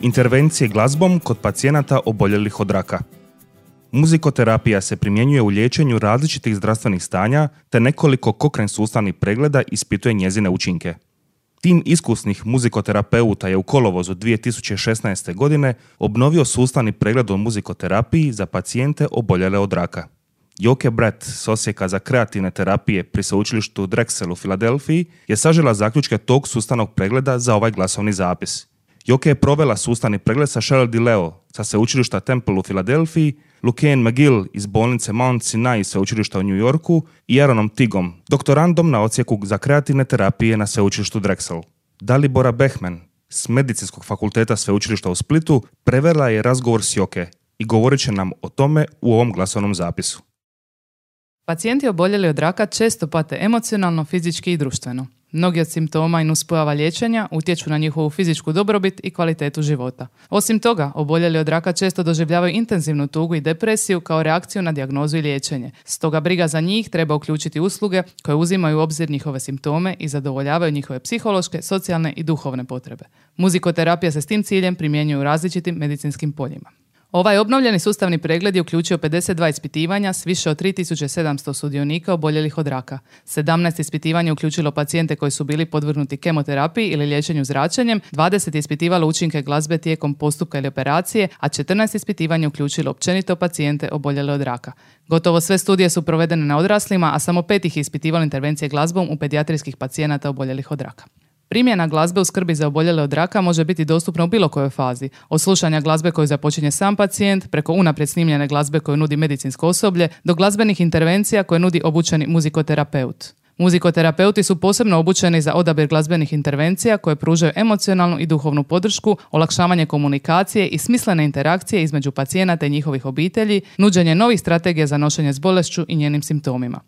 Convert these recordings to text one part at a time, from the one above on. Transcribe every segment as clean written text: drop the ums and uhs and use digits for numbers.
Intervencije glazbom kod pacijenata oboljelih od raka. Muzikoterapija se primjenjuje u liječenju različitih zdravstvenih stanja, te nekoliko Cochrane sustavnih pregleda ispituje njezine učinke. Tim iskusnih muzikoterapeuta je u kolovozu 2016. godine obnovio sustavni pregled o muzikoterapiji za pacijente oboljele od raka. Joke Brett s Odsjeka za kreativne terapije pri sveučilištu Drexel u Filadelfiji je sažela zaključke tog sustavnog pregleda za ovaj glasovni zapis. Joke je provela sustavni pregled sa Cheryl DiLeo sa sveučilišta Temple u Filadelfiji, Lucienne McGill iz bolnice Mount Sinai sveučilišta u New Yorku i Aaronom Tigom, doktorandom na Odsjeku za kreativne terapije na sveučilištu Drexel. Dalibora Bechman s Medicinskog fakulteta sveučilišta u Splitu prevela je razgovor s Joke i govorit će nam o tome u ovom glasovnom zapisu. Pacijenti oboljeli od raka često pate emocionalno, fizički i društveno. Mnogi od simptoma i nuspojava liječenja utječu na njihovu fizičku dobrobit i kvalitetu života. Osim toga, oboljeli od raka često doživljavaju intenzivnu tugu i depresiju kao reakciju na dijagnozu i liječenje. Stoga briga za njih treba uključiti usluge koje uzimaju u obzir njihove simptome i zadovoljavaju njihove psihološke, socijalne i duhovne potrebe. Muzikoterapija se s tim ciljem primjenjuje u različitim medicinskim poljima. Ovaj obnovljeni sustavni pregled je uključio 52 ispitivanja s više od 3700 sudionika oboljelih od raka. 17 ispitivanja je uključilo pacijente koji su bili podvrgnuti kemoterapiji ili liječenju zračenjem, 20 je ispitivalo učinke glazbe tijekom postupka ili operacije, a 14 ispitivanja je uključilo općenito pacijente oboljele od raka. Gotovo sve studije su provedene na odraslima, a samo 5 ih je ispitivalo intervencije glazbom u pedijatrijskih pacijenata oboljelih od raka. Primjena glazbe u skrbi za oboljele od raka može biti dostupna u bilo kojoj fazi, od slušanja glazbe koju započinje sam pacijent, preko unaprijed snimljene glazbe koju nudi medicinsko osoblje, do glazbenih intervencija koje nudi obučeni muzikoterapeut. Muzikoterapeuti su posebno obučeni za odabir glazbenih intervencija koje pružaju emocionalnu i duhovnu podršku, olakšavanje komunikacije i smislene interakcije između pacijenata i njihovih obitelji, nuđenje novih strategija za nošenje s bolešću i njenim simptomima.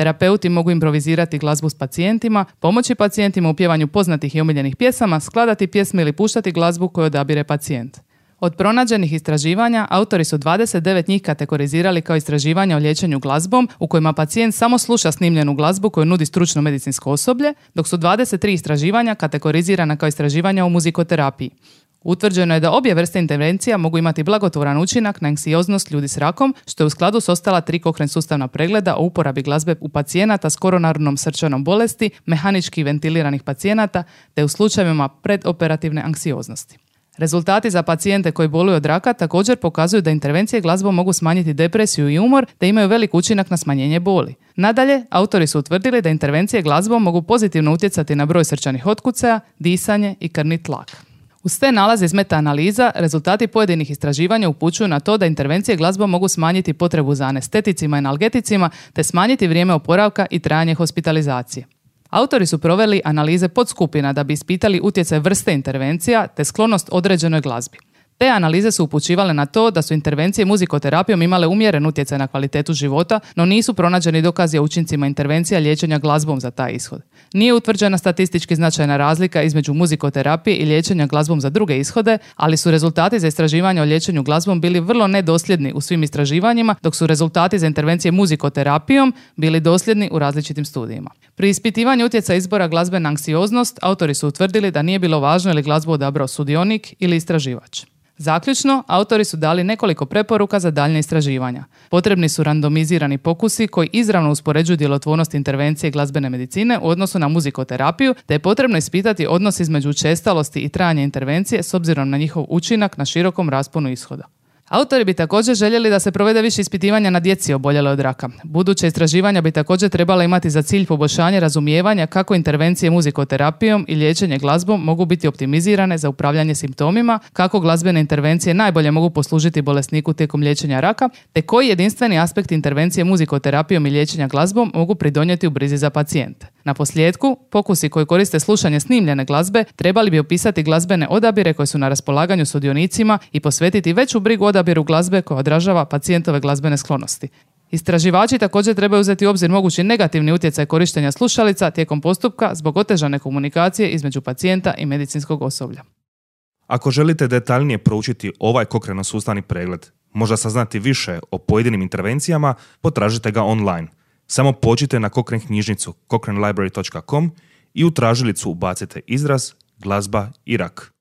Terapeuti mogu improvizirati glazbu s pacijentima, pomoći pacijentima u pjevanju poznatih i omiljenih pjesama, skladati pjesme ili puštati glazbu koju odabire pacijent. Od pronađenih istraživanja, autori su 29 njih kategorizirali kao istraživanja o liječenju glazbom u kojima pacijent samo sluša snimljenu glazbu koju nudi stručno medicinsko osoblje, dok su 23 istraživanja kategorizirana kao istraživanja o muzikoterapiji. Utvrđeno je da obje vrste intervencija mogu imati blagotvoran učinak na anksioznost ljudi s rakom, što je u skladu s ostala 3 Cochrane sustavna pregleda o uporabi glazbe u pacijenata s koronarnom srčanom bolesti, mehanički ventiliranih pacijenata, te u slučajevima predoperativne anksioznosti. Rezultati za pacijente koji boluju od raka također pokazuju da intervencije glazbom mogu smanjiti depresiju i umor, te imaju velik učinak na smanjenje boli. Nadalje, autori su utvrdili da intervencije glazbom mogu pozitivno utjecati na broj srčanih otkucaja, disanje i krvni tlak. Uz te nalaze iz meta-analiza, rezultati pojedinih istraživanja upućuju na to da intervencije glazbom mogu smanjiti potrebu za anesteticima i analgeticima te smanjiti vrijeme oporavka i trajanje hospitalizacije. Autori su proveli analize podskupina da bi ispitali utjecaj vrste intervencija te sklonost određenoj glazbi. Te analize su upućivale na to da su intervencije muzikoterapijom imale umjeren utjecaj na kvalitetu života, no nisu pronađeni dokazi o učincima intervencija liječenja glazbom za taj ishod. Nije utvrđena statistički značajna razlika između muzikoterapije i liječenja glazbom za druge ishode, ali su rezultati za istraživanje o liječenju glazbom bili vrlo nedosljedni u svim istraživanjima, dok su rezultati za intervencije muzikoterapijom bili dosljedni u različitim studijima. Pri ispitivanju utjecaja izbora glazbe na anksioznost, autori su utvrdili da nije bilo važno je li glazbu odabrao sudionik ili istraživač. Zaključno, autori su dali nekoliko preporuka za daljnje istraživanja. Potrebni su randomizirani pokusi koji izravno uspoređuju djelotvornost intervencije glazbene medicine u odnosu na muzikoterapiju, te je potrebno ispitati odnos između učestalosti i trajanja intervencije s obzirom na njihov učinak na širokom rasponu ishoda. Autori bi također željeli da se provede više ispitivanja na djeci oboljele od raka. Buduće istraživanja bi također trebala imati za cilj poboljšanje razumijevanja kako intervencije muzikoterapijom i liječenje glazbom mogu biti optimizirane za upravljanje simptomima, kako glazbene intervencije najbolje mogu poslužiti bolesniku tijekom liječenja raka, te koji jedinstveni aspekt intervencije muzikoterapijom i liječenja glazbom mogu pridonijeti u brizi za pacijente. Na posljedku, pokusi koji koriste slušanje snimljene glazbe trebali bi opisati glazbene odabire koje su na raspolaganju sudionicima i posvetiti veću brigu odabiru glazbe koja odražava pacijentove glazbene sklonosti. Istraživači također trebaju uzeti u obzir mogući negativni utjecaj korištenja slušalica tijekom postupka zbog otežane komunikacije između pacijenta i medicinskog osoblja. Ako želite detaljnije proučiti ovaj Cochrane sustavni pregled, možda saznati više o pojedinim intervencijama, potražite ga online. Samo pođite na Cochrane knjižnicu cochranelibrary.com i u tražilicu ubacite izraz glazba i rak.